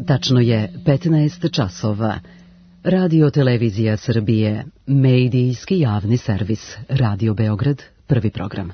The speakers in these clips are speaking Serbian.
Tačno je 15 časova. Radio Televizija Srbije, medijski javni servis, Radio Beograd, prvi program.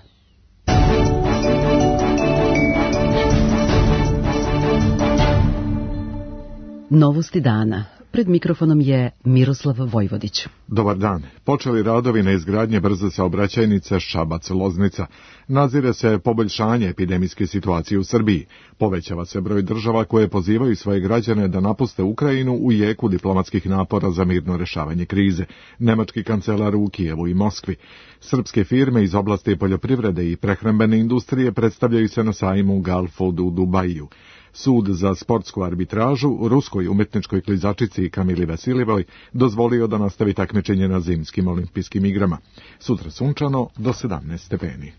Novosti dana. Pred mikrofonom je Miroslav Vojvodić. Dobar dan. Počeli radovi na izgradnje brze saobraćajnice Šabac-Loznica. Nazire se poboljšanje epidemijske situacije u Srbiji. Povećava se broj država koje pozivaju svoje građane da napuste Ukrajinu u jeku diplomatskih napora za mirno rešavanje krize. Nemački kancelar u Kijevu i Moskvi. Srpske firme iz oblasti poljoprivrede i prehrambene industrije predstavljaju se na sajmu Galfood u Dubaju. Sud za sportsku arbitražu ruskoj umetničkoj klizačici Kamili Vasiljevoj dozvolio da nastavi takmičenje na zimskim olimpijskim igrama. Sutra sunčano do 17 stepeni.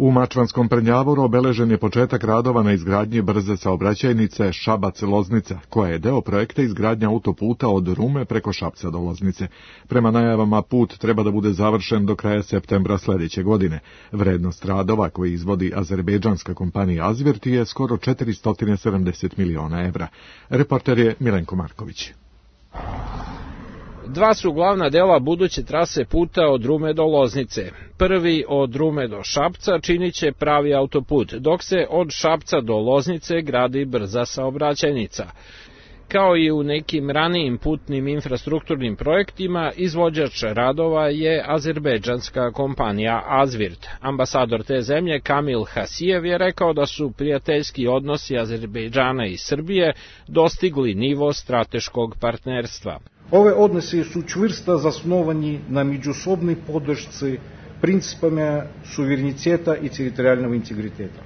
U Mačvanskom Prnjavoru obeležen je početak radova na izgradnji brze saobraćajnice Šabac-Loznica, koja je deo projekta izgradnja autoputa od Rume preko Šapca do Loznice. Prema najavama, put treba da bude završen do kraja septembra sledeće godine. Vrednost radova koji izvodi azerbejdžanska kompanija Azvirt je skoro 470 miliona evra. Reporter je Milenko Marković. Dva su glavna dela buduće trase puta od Rume do Loznice. Prvi od Rume do Šapca činit će pravi autoput, dok se od Šapca do Loznice gradi brza saobraćajnica. Kao i u nekim ranijim putnim infrastrukturnim projektima, izvođač radova je azerbejdžanska kompanija Azvirt. Ambasador te zemlje Kamil Hasijev je rekao da su prijateljski odnosi Azerbejdžana i Srbije dostigli nivo strateškog partnerstva. Ove odnosi su čvrsto zasnovani na međusobnoj podršci principama suvereniteta i teritorijalnog integriteta.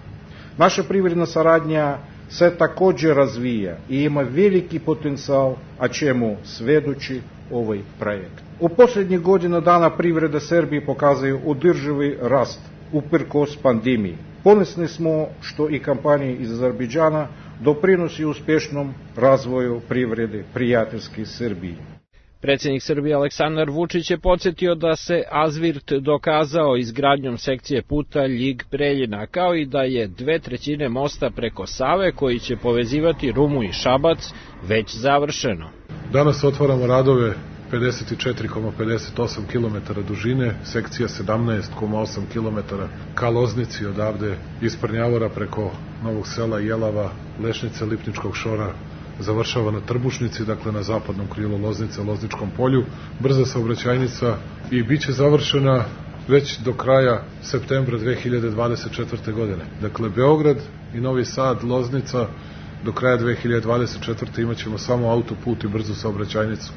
Naša privredna saradnja se također razvija i ima veliki potencijal, a čemu svedoči ovaj projekt. U posljednjih godina dana privreda Srbije pokazuje održivi rast uprkos pandemiji. Ponosni smo što i kompanije iz Azerbejdžana doprinosi uspješnom razvoju privrede prijateljske Srbije. Predsjednik Srbije Aleksandar Vučić je podsjetio da se Azvirt dokazao izgradnjom sekcije puta Ljig-Preljina, kao i da je 2/3 mosta preko Save koji će povezivati Rumu i Šabac već završeno. Danas otvaramo radove 54,58 km dužine, sekcija 17,8 km ka Loznici, odavde iz Prnjavora preko Novog Sela, Jelava, Lešnice, Lipničkog Šora, završava na Trbušnici, dakle na zapadnom krilu Loznice, Lozničkom polju, brza saobraćajnica i bit će završena već do kraja septembra 2024. godine. Dakle, Beograd i Novi Sad, Loznica, do kraja 2024. imat ćemo samo autoput i brzu saobraćajnicu.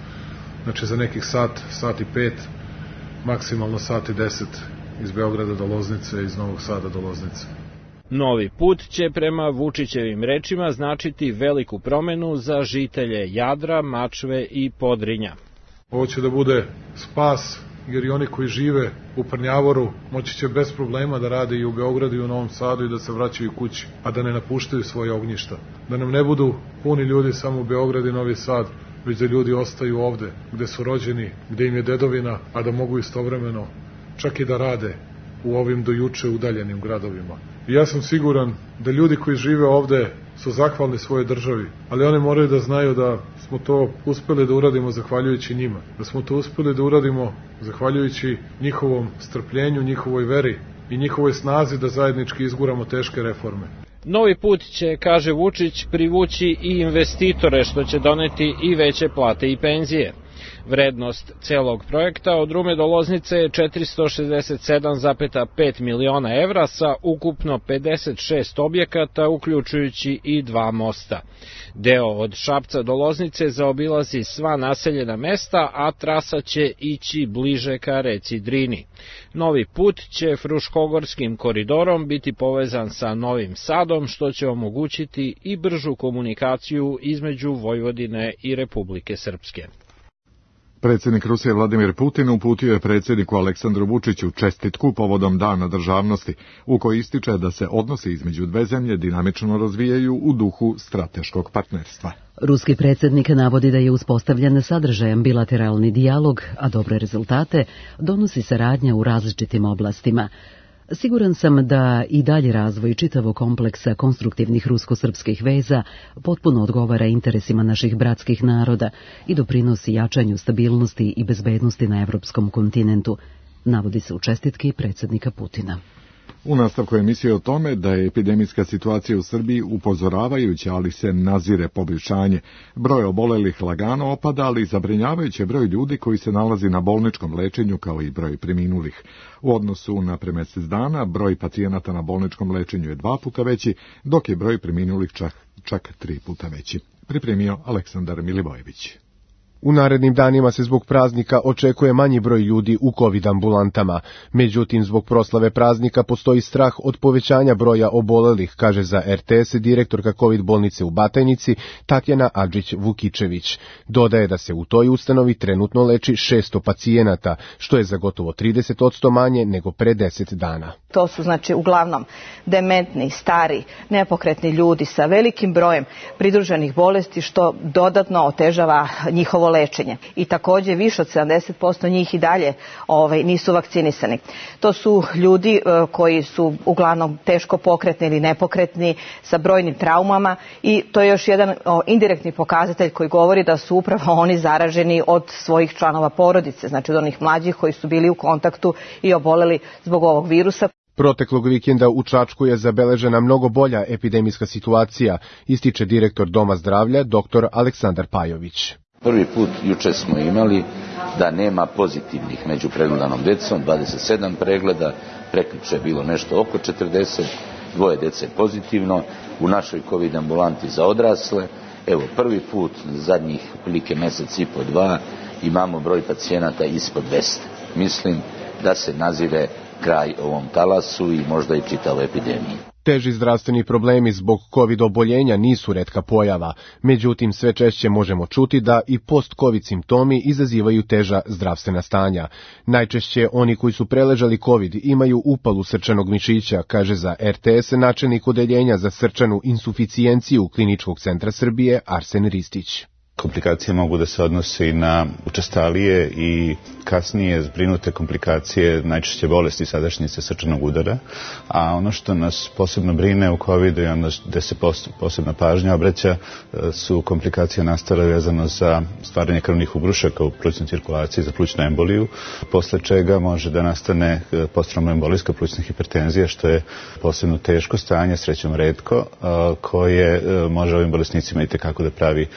Znači za nekih sat i 5, maksimalno sat i 10 iz Beograda do Loznice, iz Novog Sada do Loznice. Novi put će prema Vučićevim rečima značiti veliku promenu za žitelje Jadra, Mačve i Podrinja. Ovo će da bude spas, jer i oni koji žive u Prnjavoru moći će bez problema da rade i u Beogradu i u Novom Sadu i da se vraćaju kući, a da ne napuštaju svoje ognjišta. Da nam ne budu puni ljudi samo u Beograd i Novi Sad, već da ljudi ostaju ovde, gde su rođeni, gde im je dedovina, a da mogu istovremeno čak i da rade u ovim do juče udaljenim gradovima. I ja sam siguran da ljudi koji žive ovde su zahvalni svojoj državi, ali oni moraju da znaju da smo to uspeli da uradimo zahvaljujući njima, da smo to uspeli da uradimo zahvaljujući njihovom strpljenju, njihovoj veri i njihovoj snazi da zajednički izguramo teške reforme. Novi put će, kaže Vučić, privući i investitore, što će doneti i veće plate i penzije. Vrednost celog projekta od Rume do Loznice je 467,5 miliona evra sa ukupno 56 objekata, uključujući i 2 mosta. Deo od Šapca do Loznice zaobilazi sva naseljena mesta, a trasa će ići bliže ka reci Drini. Novi put će Fruškogorskim koridorom biti povezan sa Novim Sadom, što će omogućiti i bržu komunikaciju između Vojvodine i Republike Srpske. Predsjednik Rusije Vladimir Putin uputio je predsjedniku Aleksandru Vučiću čestitku povodom Dana državnosti, u kojoj ističe da se odnosi između dve zemlje dinamično razvijaju u duhu strateškog partnerstva. Ruski predsjednik navodi da je uspostavljen sadržajan bilateralni dijalog, a dobre rezultate donosi saradnja u različitim oblastima. Siguran sam da i dalje razvoj čitavog kompleksa konstruktivnih rusko-srpskih veza potpuno odgovara interesima naših bratskih naroda i doprinosi jačanju stabilnosti i bezbednosti na evropskom kontinentu, navodi se u čestitki predsjednika Putina. U nastavku emisije o tome da je epidemijska situacija u Srbiji upozoravajuća, ali se nazire poboljšanje. Broj obolelih lagano opada, ali zabrinjavajući broj ljudi koji se nalazi na bolničkom lečenju kao i broj preminulih. U odnosu na pre mesec dana, broj pacijenata na bolničkom lečenju je 2 puta veći, dok je broj preminulih čak 3 puta veći. Pripremio Aleksandar Milivojević. U narednim danima se zbog praznika očekuje manji broj ljudi u COVID ambulantama. Međutim, zbog proslave praznika postoji strah od povećanja broja obolelih, kaže za RTS direktorka COVID bolnice u Batajnici Tatjana Adžić-Vukičević. Dodaje da se u toj ustanovi trenutno leči 600 pacijenata, što je za gotovo 30% manje nego pre 10 dana. To su uglavnom dementni, stari, nepokretni ljudi sa velikim brojem pridruženih bolesti, što dodatno otežava njihovo lečenje. I također više od 70% njih i dalje nisu vakcinisani. To su ljudi koji su uglavnom teško pokretni ili nepokretni sa brojnim traumama i to je još jedan indirektni pokazatelj koji govori da su upravo oni zaraženi od svojih članova porodice, znači od onih mlađih koji su bili u kontaktu i oboleli zbog ovog virusa. Proteklog vikenda u Čačku je zabeležena mnogo bolja epidemijska situacija, ističe direktor Doma zdravlja dr. Aleksandar Pajović. Prvi put juče smo imali da nema pozitivnih među pregledanom decom, 27 pregleda, prekjuče je bilo nešto oko 40, 2 dece pozitivno, u našoj COVID ambulanti za odrasle. Evo, prvi put zadnjih prilike mesec i po 2 imamo broj pacijenata ispod 200. Mislim da se nazire kraj ovom talasu i možda i čitavoj epidemiji. Teži zdravstveni problemi zbog COVID oboljenja nisu retka pojava, međutim sve češće možemo čuti da i post-COVID simptomi izazivaju teža zdravstvena stanja. Najčešće oni koji su preležali COVID imaju upalu srčanog mišića, kaže za RTS načelnik odeljenja za srčanu insuficijenciju Kliničkog centra Srbije Arsen Ristić. Komplikacije mogu da se odnose i na učestalije i kasnije zbrinute komplikacije, najčešće bolesti sadašnjice srčanog udara, a ono što nas posebno brine u COVID-u i ono gde se posebna pažnja obraća su komplikacije nastale vezano za stvaranje krvnih ugrušaka u plućnoj cirkulaciji, za plućnu emboliju, posle čega može da nastane posttraumoembolijska plućna hipertenzija, što je posebno teško stanje, srećom retko, koje može ovim bolesnicima itekako da pravi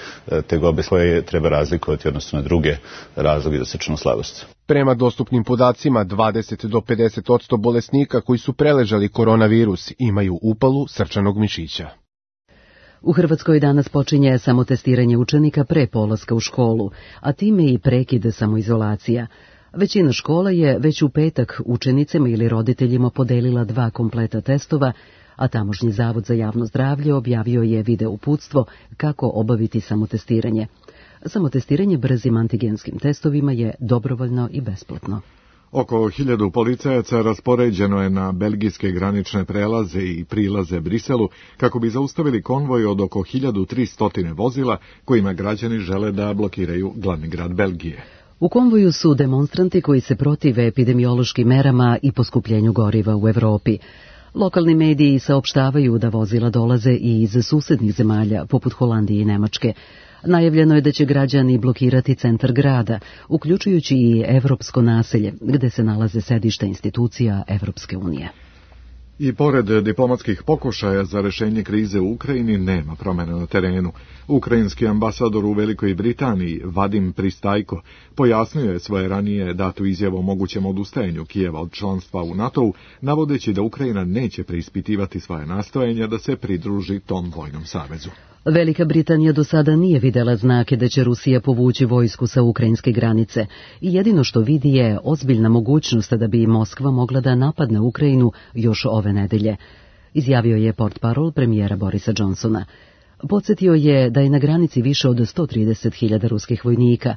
tegobe koje treba razlikovati odnosno na druge razloge za srčanu slabost. Prema dostupnim podacima, 20 do 50% bolesnika koji su preležali koronavirus imaju upalu srčanog mišića. U Hrvatskoj danas počinje samotestiranje učenika pre polaska u školu, a time i prekid samoizolacija. Većina škola je već u petak učenicima ili roditeljima podelila 2 kompleta testova, a tamošnji Zavod za javno zdravlje objavio je video uputstvo kako obaviti samotestiranje. Samotestiranje brzim antigenskim testovima je dobrovoljno i besplatno. Oko 1000 policajaca raspoređeno je na belgijske granične prelaze i prilaze Briselu kako bi zaustavili konvoj od oko 1300 vozila kojima građani žele da blokiraju glavni grad Belgije. U konvoju su demonstranti koji se protive epidemiološkim merama i poskupljenju goriva u Evropi. Lokalni mediji saopštavaju da vozila dolaze i iz susednih zemalja, poput Holandije i Nemačke. Najavljeno je da će građani blokirati centar grada, uključujući i evropsko naselje, gde se nalaze sedišta institucija Evropske unije. I pored diplomatskih pokušaja za rešenje krize u Ukrajini nema promjena na terenu. Ukrajinski ambasador u Velikoj Britaniji, Vadim Pristajko, pojasnio je svoje ranije datu izjavu o mogućem odustajanju Kijeva od članstva u NATO-u, navodeći da Ukrajina neće preispitivati svoje nastojanja da se pridruži tom vojnom savezu. Velika Britanija do sada nije videla znake da će Rusija povući vojsku sa ukrajinske granice i jedino što vidi je ozbiljna mogućnost da bi Moskva mogla da napadne Ukrajinu još ove nedelje, izjavio je portparol premijera Borisa Johnsona. Podsjetio je da je na granici više od 130.000 ruskih vojnika.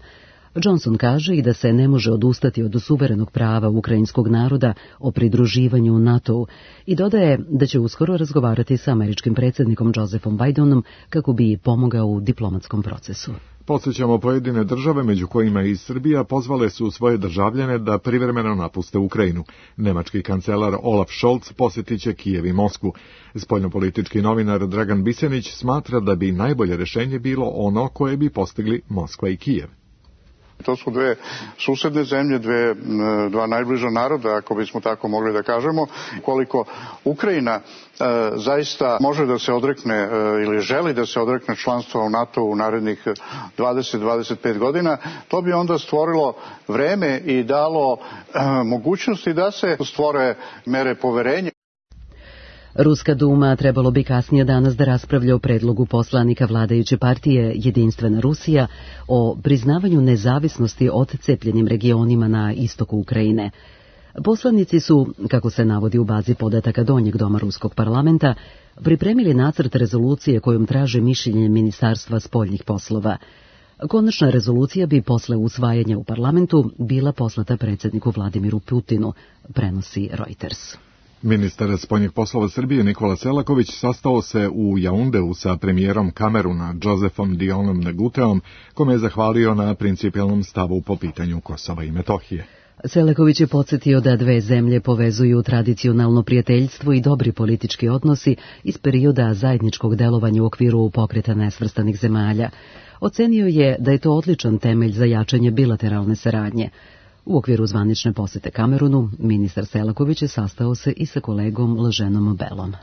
Johnson kaže i da se ne može odustati od suverenog prava ukrajinskog naroda o pridruživanju NATO-u i dodaje da će uskoro razgovarati sa američkim predsjednikom Josephom Bidenom kako bi pomogao u diplomatskom procesu. Podsjećamo, pojedine države, među kojima i Srbija, pozvale su svoje državljane da privremeno napuste Ukrajinu. Nemački kancelar Olaf Scholz posjetit će Kijev i Moskvu. Spoljnopolitički novinar Dragan Bisenić smatra da bi najbolje rješenje bilo ono koje bi postigli Moskva i Kijev. To su dve susedne zemlje, dva najbliža naroda, ako bismo tako mogli da kažemo. Koliko Ukrajina zaista može da se odrekne ili želi da se odrekne članstva u NATO u narednih 20-25 godina, to bi onda stvorilo vreme i dalo mogućnosti da se stvore mere poverenja. Ruska Duma trebalo bi kasnije danas da raspravlja o predlogu poslanika vladajuće partije Jedinstvena Rusija o priznavanju nezavisnosti odcepljenim regionima na istoku Ukrajine. Poslanici su, kako se navodi u bazi podataka Donjeg doma Ruskog parlamenta, pripremili nacrt rezolucije kojom traže mišljenje Ministarstva spoljnih poslova. Konačna rezolucija bi posle usvajanja u parlamentu bila poslata predsjedniku Vladimiru Putinu, prenosi Reuters. Ministar spoljnih poslova Srbije Nikola Selaković sastao se u Jaundeu sa premijerom Kameruna Josefom Dionom Neguteom, kome je zahvalio na principijelnom stavu po pitanju Kosova i Metohije. Selaković je podsjetio da dve zemlje povezuju tradicionalno prijateljstvo i dobri politički odnosi iz perioda zajedničkog delovanja u okviru pokreta nesvrstanih zemalja. Ocenio je da je to odličan temelj za jačanje bilateralne saradnje. U okviru zvanične posete Kamerunu, ministar Selaković je sastao se i sa kolegom Laženom Belom.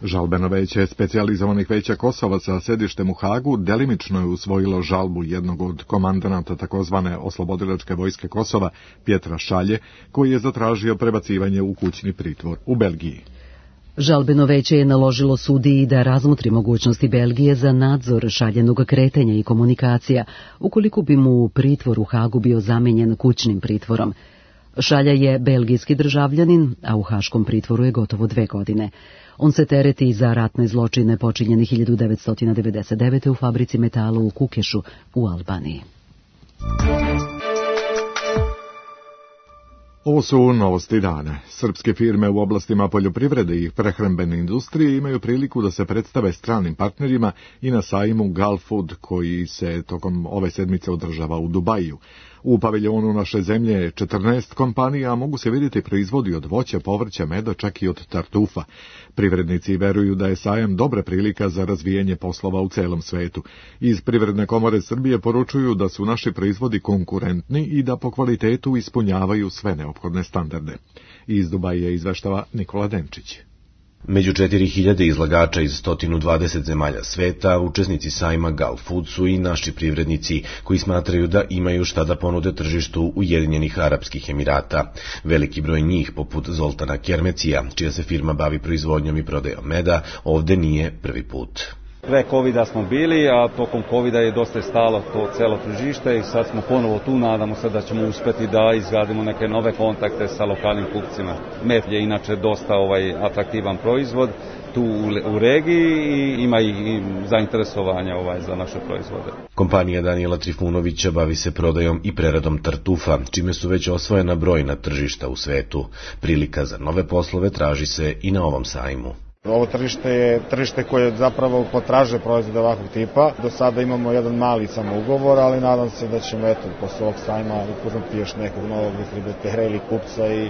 Žalbeno veće specijalizovanih veća Kosova sa sedištem u Hagu delimično je usvojilo žalbu jednog od komandanata takozvane oslobodilačke vojske Kosova, Pjetra Šalje, koji je zatražio prebacivanje u kućni pritvor u Belgiji. Žalbeno veće je naložilo sudiji da razmotri mogućnosti Belgije za nadzor Šaljenog kretanja i komunikacija, ukoliko bi mu pritvor u Hagu bio zamenjen kućnim pritvorom. Šalja je belgijski državljanin, a u haškom pritvoru je gotovo 2 godine. On se tereti za ratne zločine počinjene 1999. u fabrici metala u Kukešu u Albaniji. Ovo su novosti dana. Srpske firme u oblastima poljoprivrede i prehrambene industrije imaju priliku da se predstave stranim partnerima i na sajmu Gulfood, koji se tokom ove sedmice održava u Dubaju. U paviljonu naše zemlje 14 kompanija, mogu se vidjeti proizvodi od voća, povrća, meda, čak i od tartufa. Privrednici veruju da je sajam dobra prilika za razvijanje poslova u celom svetu. Iz Privredne komore Srbije poručuju da su naši proizvodi konkurentni i da po kvalitetu ispunjavaju sve neophodne standarde. Iz Dubaja izveštava Nikola Denčić. Među 4000 izlagača iz 120 zemalja sveta, učesnici sajma Gulfood su i naši privrednici koji smatraju da imaju šta da ponude tržištu Ujedinjenih Arapskih Emirata. Veliki broj njih, poput Zoltana Kermecija, čija se firma bavi proizvodnjom i prodajom meda, ovde nije prvi put. Pre covida smo bili, a tokom covida je dosta stalo to celo tržište i sad smo ponovo tu, nadamo se da ćemo uspeti da izgradimo neke nove kontakte sa lokalnim kupcima. Med je inače dosta atraktivan proizvod tu u regiji i ima i zainteresovanja za naše proizvode. Kompanija Danijela Trifunovića bavi se prodajom i preradom tartufa, čime su već osvojena brojna tržišta u svetu. Prilika za nove poslove traži se i na ovom sajmu. Ovo tržište je tržište koje zapravo potražuje proizvode ovakvog tipa. Do sada imamo jedan mali samo ugovor, ali nadam se da ćemo posle ovog sajma upoznati još nekog novog distributera ili kupca i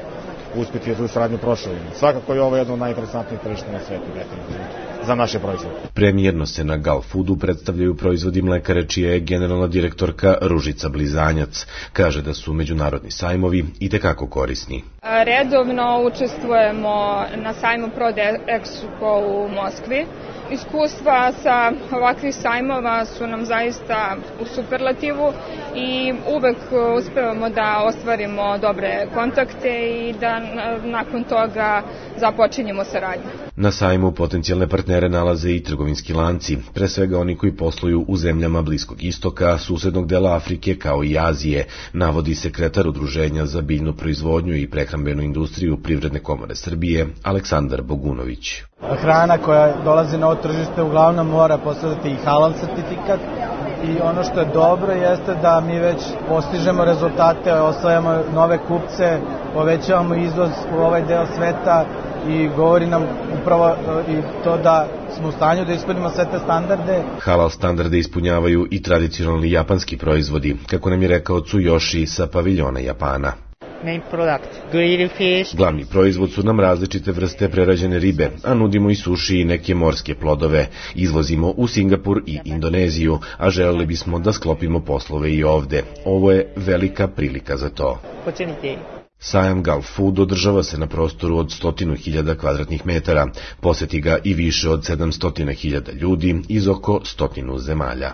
uspjeti da tu saradnju proširimo. Svakako je ovo jedno od najinteresantnijih tržišta na svetu, definitivno, za naše proizvode. Premijerno se na Gulfoodu predstavljaju proizvodi mlekare, čija je generalna direktorka Ružica Blizanjac. Kaže da su međunarodni sajmovi itekako korisni. Redovno učestvujemo na sajmu ProdExpo u Moskvi. Iskustva sa ovakvih sajmova su nam zaista u superlativu i uvek uspevamo da ostvarimo dobre kontakte i da nakon toga započinjemo saradnju. Na sajmu potencijalne partnere nalaze i trgovinski lanci, pre svega oni koji posluju u zemljama Bliskog istoka, susednog dela Afrike kao i Azije, navodi sekretar Udruženja za biljnu proizvodnju i prehrambenu industriju Privredne komore Srbije, Aleksandar Bogunović. Hrana koja dolazi na ovo tržište uglavnom mora posjedati i halal sertifikat i ono što je dobro jeste da mi već postižemo rezultate, osvajamo nove kupce, povećavamo izvoz u ovaj deo sveta i govori nam upravo i to da smo u stanju da ispunimo sve te standarde. Halal standarde ispunjavaju i tradicionalni japanski proizvodi, kako nam je rekao Tsuyoshi sa paviljona Japana. Glavni proizvod su nam različite vrste prerađene ribe, a nudimo i suši i neke morske plodove. Izvozimo u Singapur i Indoneziju, a želeli bismo da sklopimo poslove i ovde. Ovo je velika prilika za to. Sajam Gulf Food održava se na prostoru od 100.000 kvadratnih metara. Poseti ga i više od 700.000 ljudi iz oko 100 zemalja.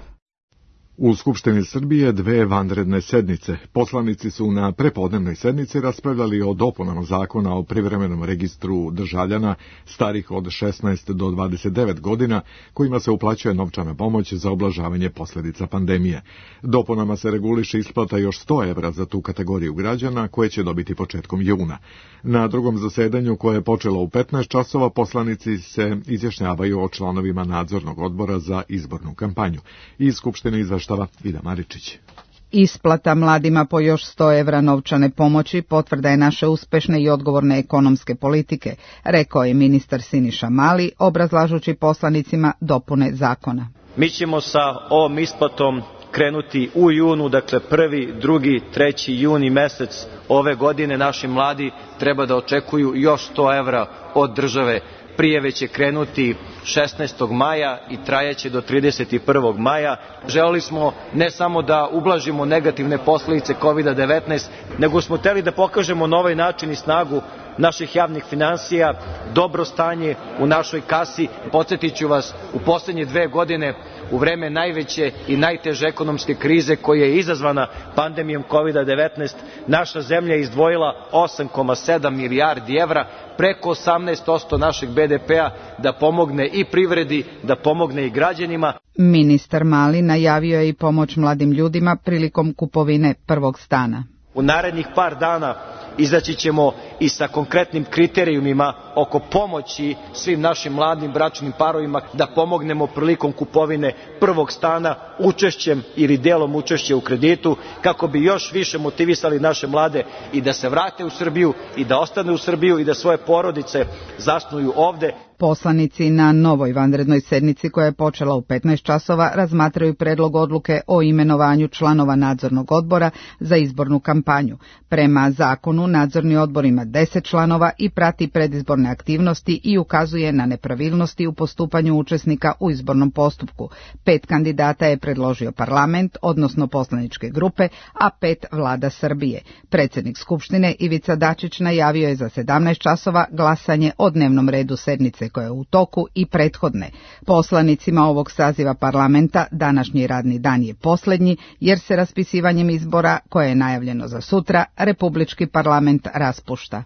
U Skupštini Srbije 2 vanredne sednice. Poslanici su na prepodnevnoj sednici raspravljali o dopunama zakona o privremenom registru državljana starih od 16 do 29 godina, kojima se uplaćuje novčana pomoć za ublažavanje posljedica pandemije. Dopunama se reguliše isplata još 100 evra za tu kategoriju građana, koje će dobiti početkom juna. Na drugom zasedanju, koje je počelo u 15 časova, poslanici se izjašnjavaju o članovima nadzornog odbora za izbornu kampanju. Iz Skupštine izveštava Vida Maričić. Isplata mladima po još 100 evra novčane pomoći potvrda je naše uspešne i odgovorne ekonomske politike, rekao je ministar Siniša Mali, obrazlažući poslanicima dopune zakona. Mi ćemo sa ovom isplatom krenuti u junu, dakle 1., 2., 3. juni mesec ove godine. Naši mladi treba da očekuju još 100 evra od države. Prijave će krenuti 16. maja i trajaće do 31. maja. Želeli smo ne samo da ublažimo negativne posljedice COVID-19, nego smo hteli da pokažemo na ovaj način i snagu naših javnih finansija, dobro stanje u našoj kasi. Podsjetit ću vas, u posljednje 2 godine, u vreme najveće i najteže ekonomske krize koja je izazvana pandemijom COVID-19, naša zemlja je izdvojila 8,7 milijardi evra, preko 18% našeg BDP-a, da pomogne i privredi, da pomogne i građanima. Ministar Mali najavio je i pomoć mladim ljudima prilikom kupovine prvog stana. U narednih par dana izaći ćemo i sa konkretnim kriterijumima oko pomoći svim našim mladim bračnim parovima da pomognemo prilikom kupovine prvog stana učešćem ili delom učešća u kreditu, kako bi još više motivisali naše mlade i da se vrate u Srbiju i da ostane u Srbiju i da svoje porodice zasnuju ovde. Poslanici na novoj vanrednoj sednici, koja je počela u 15 časova, razmatraju predlog odluke o imenovanju članova nadzornog odbora za izbornu kampanju. Prema zakonu, nadzorni odbor ima 10 članova i prati predizborne aktivnosti i ukazuje na nepravilnosti u postupanju učesnika u izbornom postupku. 5 kandidata je predložio parlament, odnosno poslaničke grupe, a 5 vlada Srbije. Predsjednik Skupštine Ivica Dačić najavio je za 17 časova glasanje o dnevnom redu sednice koja je u toku i prethodne. Poslanicima ovog saziva parlamenta današnji radni dan je posljednji, jer se raspisivanjem izbora, koje je najavljeno za sutra, Republički parlament raspušta.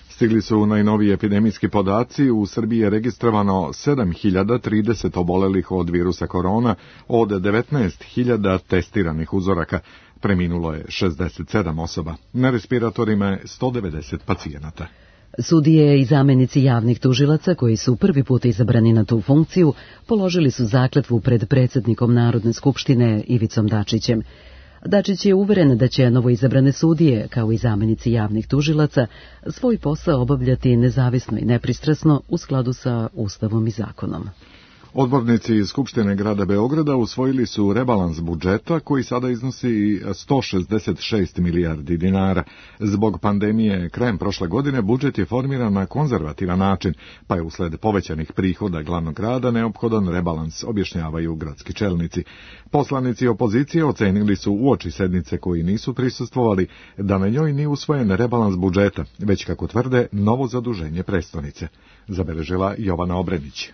Stigli su najnoviji epidemijski podaci. U Srbiji je registrovano 7.030 obolelih od virusa korona od 19.000 testiranih uzoraka. Preminulo je 67 osoba. Na respiratorima je 190 pacijenata. Sudije i zamenici javnih tužilaca, koji su prvi put izabrani na tu funkciju, položili su zakletvu pred predsjednikom Narodne skupštine Ivicom Dačićem. Dačić je uveren da će novoizabrane sudije, kao i zamenici javnih tužilaca, svoj posao obavljati nezavisno i nepristrasno u skladu sa Ustavom i zakonom. Odbornici iz Skupštine grada Beograda usvojili su rebalans budžeta, koji sada iznosi 166 milijardi dinara. Zbog pandemije krajem prošle godine budžet je formiran na konzervativan način, pa je usled povećanih prihoda glavnog grada neophodan rebalans, objašnjavaju gradski čelnici. Poslanici opozicije ocenili su uoči sednice, koji nisu prisustvovali, da na njoj nije usvojen rebalans budžeta, već, kako tvrde, novo zaduženje prestonice. Zabeležila Jovana Obrenić.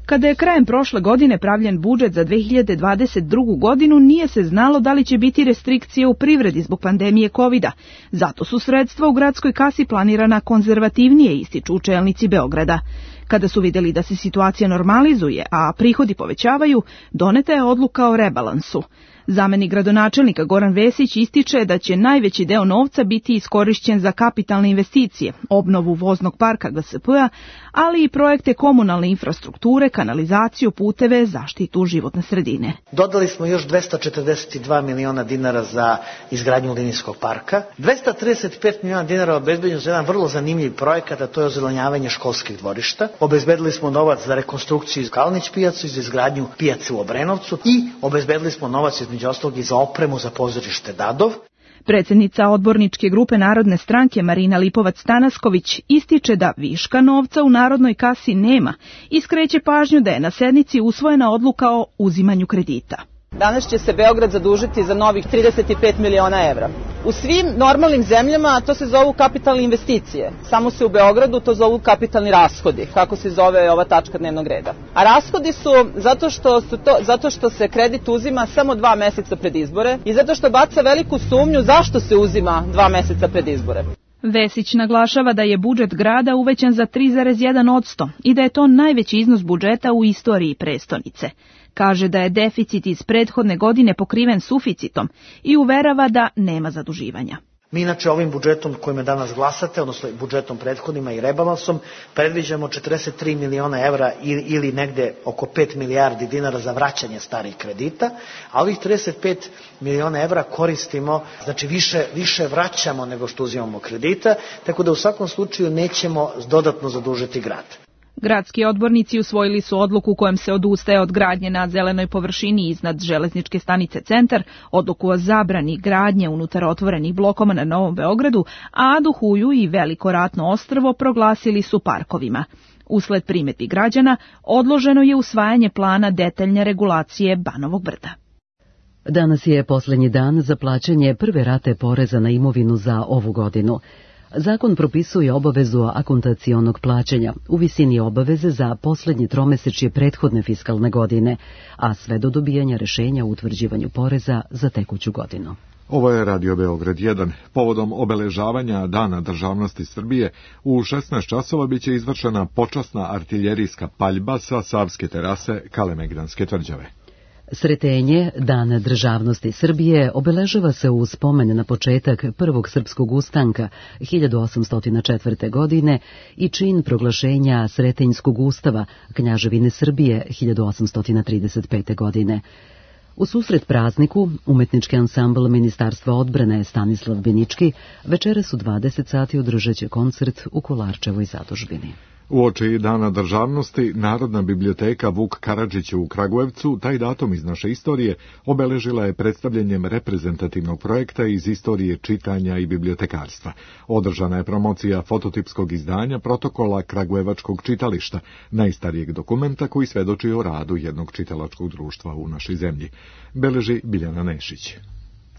Kada je krajem prošle godine pravljen budžet za 2022. godinu, nije se znalo da li će biti restrikcije u privredi zbog pandemije COVID-a. Zato su sredstva u gradskoj kasi planirana konzervativnije, ističu čelnici Beograda. Kada su vidjeli da se situacija normalizuje, a prihodi povećavaju, doneta je odluka o rebalansu. Zamenik gradonačelnika Goran Vesić ističe da će najveći deo novca biti iskorišćen za kapitalne investicije, obnovu voznog parka GSP-a, ali i projekte komunalne infrastrukture, kanalizaciju, puteve, zaštitu životne sredine. Dodali smo još 242 miliona dinara za izgradnju linijskog parka. 235 miliona dinara obezbeđeno za jedan vrlo zanimljiv projekat, a to je ozelenjavanje školskih dvorišta. obezbedili smo novac za rekonstrukciju iz Kalnić pijacu i za izgradnju pijace u Obrenovcu i obezbedili smo novac između ostalog i za opremu za pozorište Dadov. Predsjednica odborničke grupe Narodne stranke Marina Lipovac-Tanasković ističe da viška novca u narodnoj kasi nema i skreće pažnju da je na sednici usvojena odluka o uzimanju kredita. Danas će se Beograd zadužiti za novih 35 miliona evra. U svim normalnim zemljama to se zovu kapitalne investicije. Samo se u Beogradu to zovu kapitalni rashodi, kako se zove ova tačka dnevnog reda. A rashodi su zato što se kredit uzima samo 2 meseca pred izbore i zato što baca veliku sumnju zašto se uzima 2 meseca pred izbore. Vesić naglašava da je budžet grada uvećan za 3,1% i da je to najveći iznos budžeta u istoriji prestonice. Kaže da je deficit iz prethodne godine pokriven suficitom i uverava da nema zaduživanja. Mi inače ovim budžetom kojim danas glasate, odnosno budžetom prethodnima i rebalansom, predviđamo 43 miliona evra ili negde oko 5 milijardi dinara za vraćanje starih kredita, a ovih 35 miliona evra koristimo, znači više vraćamo nego što uzimamo kredita, tako da u svakom slučaju nećemo dodatno zadužiti grad. Gradski odbornici usvojili su odluku kojom se odustaje od gradnje na zelenoj površini iznad železničke stanice Centar, odluku o zabrani gradnje unutar otvorenih blokova na Novom Beogradu, a Aduhuju i Veliko Ratno ostrvo proglasili su parkovima. Usled primedbi građana, odloženo je usvajanje plana detaljne regulacije Banovog brda. Danas je posljednji dan za plaćanje prve rate poreza na imovinu za ovu godinu. Zakon propisuje obavezu akontacionog plaćanja u visini obaveze za posljednje tromesečje prethodne fiskalne godine, a sve do dobijanja rješenja o utvrđivanju poreza za tekuću godinu. Ovo je Radio Beograd 1. Povodom obeležavanja Dana državnosti Srbije u 16 časova biće izvršena počasna artiljerijska paljba sa Savske terase Kalemegdanske tvrđave. Sretenje Dana državnosti Srbije obeležava se u spomen na početak prvog srpskog ustanka 1804. godine i čin proglašenja Sretenjskog ustava Kneževine Srbije 1835. godine. U susret prazniku, umetnički ansambl Ministarstva odbrane Stanislav Binički večeras u 20 sati održat će koncert u Kolarčevoj zadužbini. Uoči Dana državnosti, Narodna biblioteka Vuk Karadžić u Kragujevcu taj datum iz naše istorije obeležila je predstavljanjem reprezentativnog projekta iz istorije čitanja i bibliotekarstva. Održana je promocija fototipskog izdanja protokola Kragujevačkog čitališta, najstarijeg dokumenta koji svedoči o radu jednog čitalačkog društva u našoj zemlji. Beleži Biljana Nešić.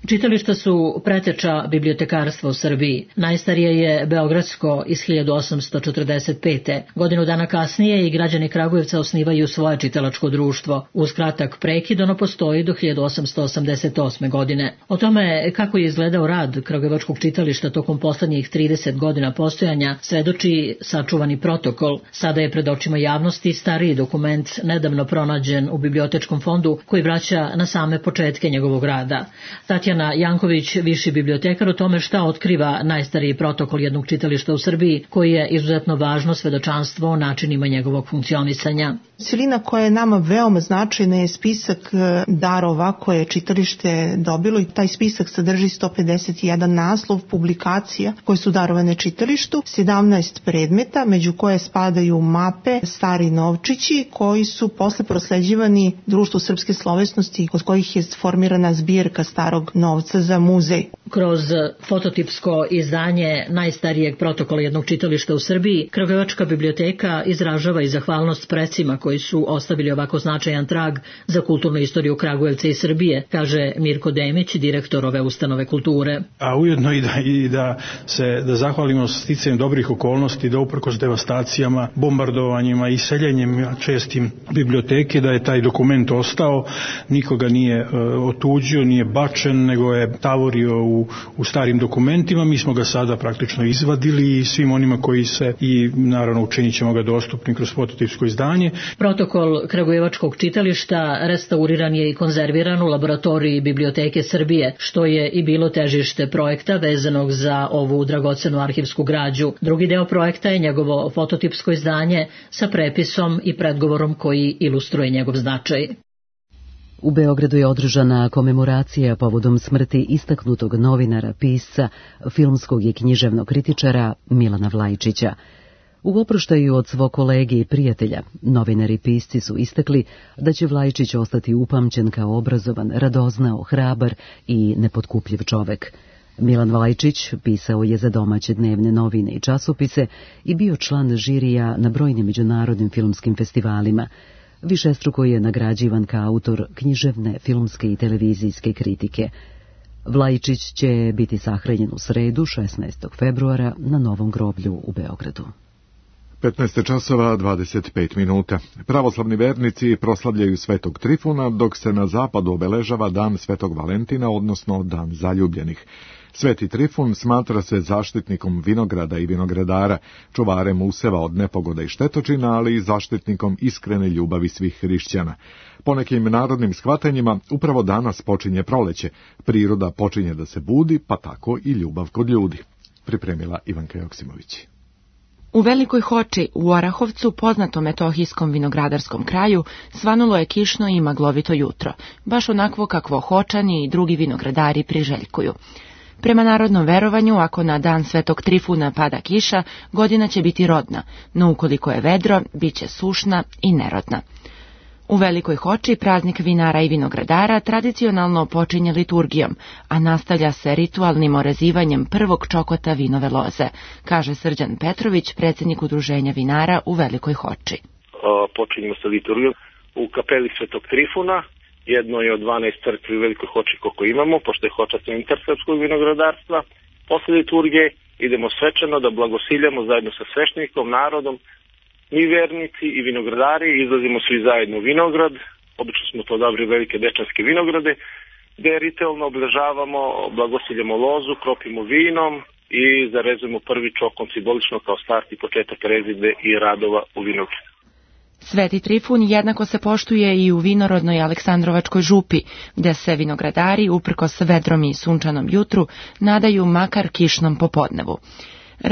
Čitališta su preteča bibliotekarstva u Srbiji. Najstarije je beogradsko iz 1845. Godinu dana kasnije i građani Kragujevca osnivaju svoje čitalačko društvo. Uz kratak prekid ono postoji do 1888. godine. O tome kako je izgledao rad Kragujevačkog čitališta tokom poslednjih 30 godina postojanja svedoči sačuvani protokol. Sada je pred očima javnosti stariji dokument nedavno pronađen u bibliotečkom fondu koji vraća na same početke njegovog rada. Tatjana Janković, viši bibliotekar, o tome šta otkriva najstariji protokol jednog čitališta u Srbiji, koji je izuzetno važno svedočanstvo o načinima njegovog funkcionisanja. Celina koja je nama veoma značajna je spisak darova koje je čitalište dobilo i taj spisak sadrži 151 naslov publikacija koje su darovane čitalištu, 17 predmeta, među koje spadaju mape, stari novčići koji su posle prosleđivani Društvu srpske slovesnosti kod kojih je formirana zbirka starog novca za muzej. Kroz fototipsko izdanje najstarijeg protokola jednog čitališta u Srbiji, Kragujevačka biblioteka izražava i zahvalnost precima koji su ostavili ovako značajan trag za kulturnu istoriju Kragujevca i Srbije, kaže Mirko Demić, direktor ove ustanove kulture. A ujedno da zahvalimo sticajem dobrih okolnosti, da uprkos devastacijama, bombardovanjima i seljenjem čestim biblioteke, da je taj dokument ostao, nikoga nije otuđio, nije bačen, nego je tavorio u starim dokumentima. Mi smo ga sada praktično izvadili i svim onima koji se, i naravno učinit ćemo ga dostupnim kroz fototipsko izdanje. Protokol Kragujevačkog čitališta restauriran je i konzerviran u laboratoriji Biblioteke Srbije, što je i bilo težište projekta vezanog za ovu dragocenu arhivsku građu. Drugi deo projekta je njegovo fototipsko izdanje sa prepisom i predgovorom koji ilustruje njegov značaj. U Beogradu je održana komemoracija povodom smrti istaknutog novinara, pisca, filmskog i književnog kritičara Milana Vlajčića. U oproštaju od svog kolege i prijatelja, novinari i pisci su istakli da će Vlajičić ostati upamćen kao obrazovan, radoznao, hrabar i nepotkupljiv čovek. Milan Vlajičić pisao je za domaće dnevne novine i časopise i bio član žirija na brojnim međunarodnim filmskim festivalima. Višestruko je nagrađivan kao autor književne, filmske i televizijske kritike. Vlajičić će biti sahranjen u sredu, 16. februara, na Novom groblju u Beogradu. 15 časova 25 minuta. Pravoslavni vernici proslavljaju Svetog Trifuna, dok se na zapadu obeležava Dan Svetog Valentina, odnosno Dan zaljubljenih. Sveti Trifun smatra se zaštitnikom vinograda i vinogradara, čuvarem useva od nepogoda i štetočina, ali i zaštitnikom iskrene ljubavi svih hrišćana. Po nekim narodnim shvatanjima, upravo danas počinje proleće, priroda počinje da se budi, pa tako i ljubav kod ljudi. Pripremila Ivanka Joksimović. U Velikoj Hoči, u Orahovcu, poznatom metohijskom vinogradarskom kraju, svanulo je kišno i maglovito jutro, baš onakvo kakvo Hočani i drugi vinogradari priželjkuju. Prema narodnom verovanju, ako na dan Svetog Trifuna pada kiša, godina će biti rodna, no ukoliko je vedro, bit će sušna i nerodna. U Velikoj Hoči praznik vinara i vinogradara tradicionalno počinje liturgijom, a nastavlja se ritualnim orezivanjem prvog čokota vinove loze, kaže Srđan Petrović, predsjednik Udruženja vinara u Velikoj Hoči. Počinjemo sa liturgijom u kapeli Svetog Trifuna, jednoj od 12 crkvi u Velikoj Hoči koliko imamo, pošto je Hoča centar srpskog vinogradarstva. Posle liturgije idemo svečano da blagosiljamo zajedno sa sveštenikom, narodom. Mi vernici i vinogradari izlazimo svi zajedno u vinograd, obično smo to odabrali velike dečanske vinograde, gde ritualno obeležavamo, blagosiljamo lozu, kropimo vinom i zarezujemo prvi čokon simbolično kao start i početak rezidbe i radova u vinogradu. Sveti Trifun jednako se poštuje i u vinorodnoj Aleksandrovačkoj župi, gde se vinogradari, uprkos vedrom i sunčanom jutru, nadaju makar kišnom popodnevu.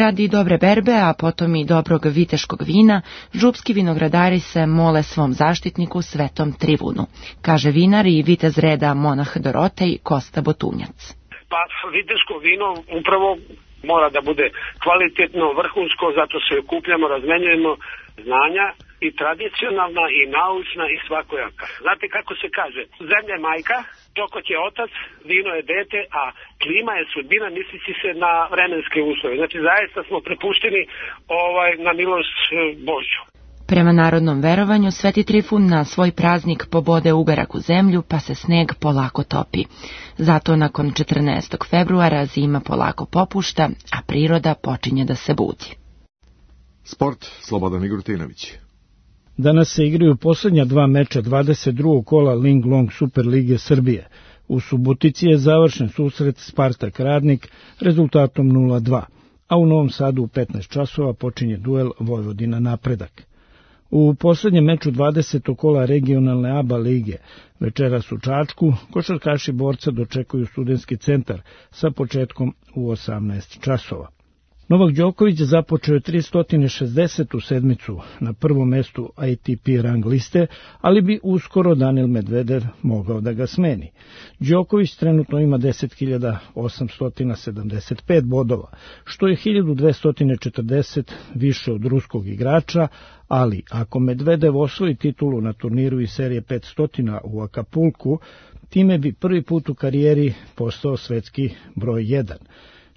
Radi dobre berbe, a potom i dobrog viteškog vina, župski vinogradari se mole svom zaštitniku Svetom Trifunu, kaže vinar i vitez reda monah Dorotej Kosta Botunjac. Pa viteško vino upravo mora da bude kvalitetno, vrhunsko, zato se okupljamo, razmenjujemo znanja i tradicionalna i naučna i svakojaka. Znate kako se kaže, zemlja je majka, čokot je otac, vino je dete, a klima je sudbina, mislići se na vremenske uslove. Znači zaista smo prepušteni na milost Božju. Prema narodnom verovanju, Sveti Trifun na svoj praznik pobode uberak u zemlju, pa se sneg polako topi. Zato nakon 14. februara zima polako popušta, a priroda počinje da se budi. Sport, Slobodan Migrutinović. Danas se igraju posljednja dva meča 22. kola Ling Long Super Lige Srbije. U Subotici je završen susret Spartak Radnik rezultatom 0-2, a u Novom Sadu u 15 časova počinje duel Vojvodina Napredak. U posljednjem meču 20. kola regionalne ABA lige večeras u Čačku košarkaši Borca dočekuju Studentski centar sa početkom u 18 časova. Novak Đoković započeo je 360. sedmicu na prvom mestu ATP rang liste, ali bi uskoro Daniil Medvedev mogao da ga smeni. Đoković trenutno ima 10.875 bodova, što je 1240 više od ruskog igrača, ali ako Medvedev osvoji titulu na turniru iz serije 500 u Akapulku, time bi prvi put u karijeri postao svetski broj 1.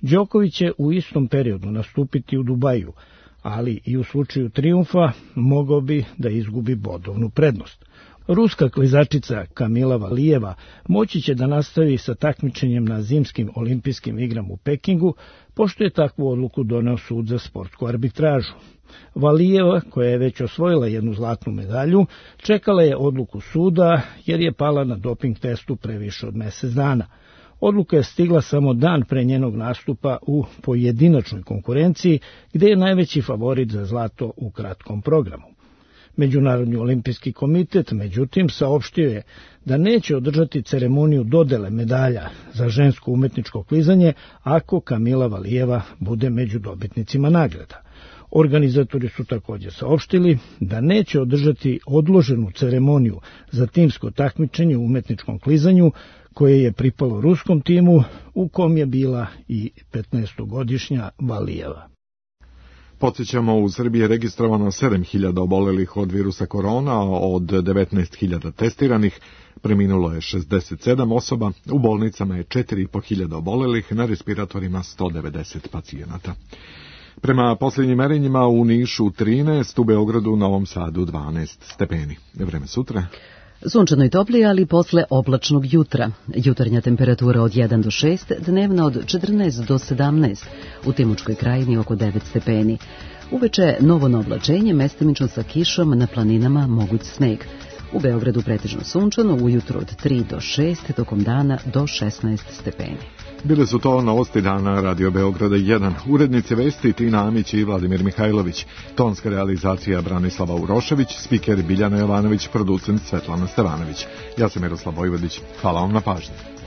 Đoković će u istom periodu nastupiti u Dubaju, ali i u slučaju trijumfa mogao bi da izgubi bodovnu prednost. Ruska klizačica Kamila Valijeva moći će da nastavi sa takmičenjem na zimskim olimpijskim igrama u Pekingu, pošto je takvu odluku doneo sud za sportsku arbitražu. Valijeva, koja je već osvojila jednu zlatnu medalju, čekala je odluku suda jer je pala na doping testu pre više od mjesec dana. Odluka je stigla samo dan pre njenog nastupa u pojedinačnoj konkurenciji, gde je najveći favorit za zlato u kratkom programu. Međunarodni olimpijski komitet, međutim, saopštio je da neće održati ceremoniju dodele medalja za žensko umetničko klizanje ako Kamila Valijeva bude među dobitnicima nagrada. Organizatori su također saopštili da neće održati odloženu ceremoniju za timsko takmičenje u umetničkom klizanju koje je pripalo ruskom timu u kom je bila i 15-godišnja Valijeva. Podsjećamo, u Srbiji je registrovano 7.000 obolelih od virusa korona, od 19.000 testiranih, preminulo je 67 osoba, u bolnicama je 4.500 obolelih, na respiratorima 190 pacijenata. Prema posljednjim merenjima u Nišu 13, u Beogradu, Novom Sadu 12 stepeni. Vreme sutra. Sunčano i toplije, ali posle oblačnog jutra. Jutarnja temperatura od 1 do 6, dnevna od 14 do 17, u Timočkoj krajini oko 9 stepeni. Uveče novo na oblačenje, mestimično sa kišom, na planinama moguć sneg. U Beogradu pretežno sunčano, ujutro od 3 do 6, tokom dana do 16 stepeni. Bile su to novosti dana Radio Beograda 1. Urednice vesti Tina Amić i Vladimir Mihajlović. Tonska realizacija Branislava Urošević, spiker Biljana Jovanović, producent Svetlana Stevanović. Ja sam Miroslav Vojvodić. Hvala vam na pažnji.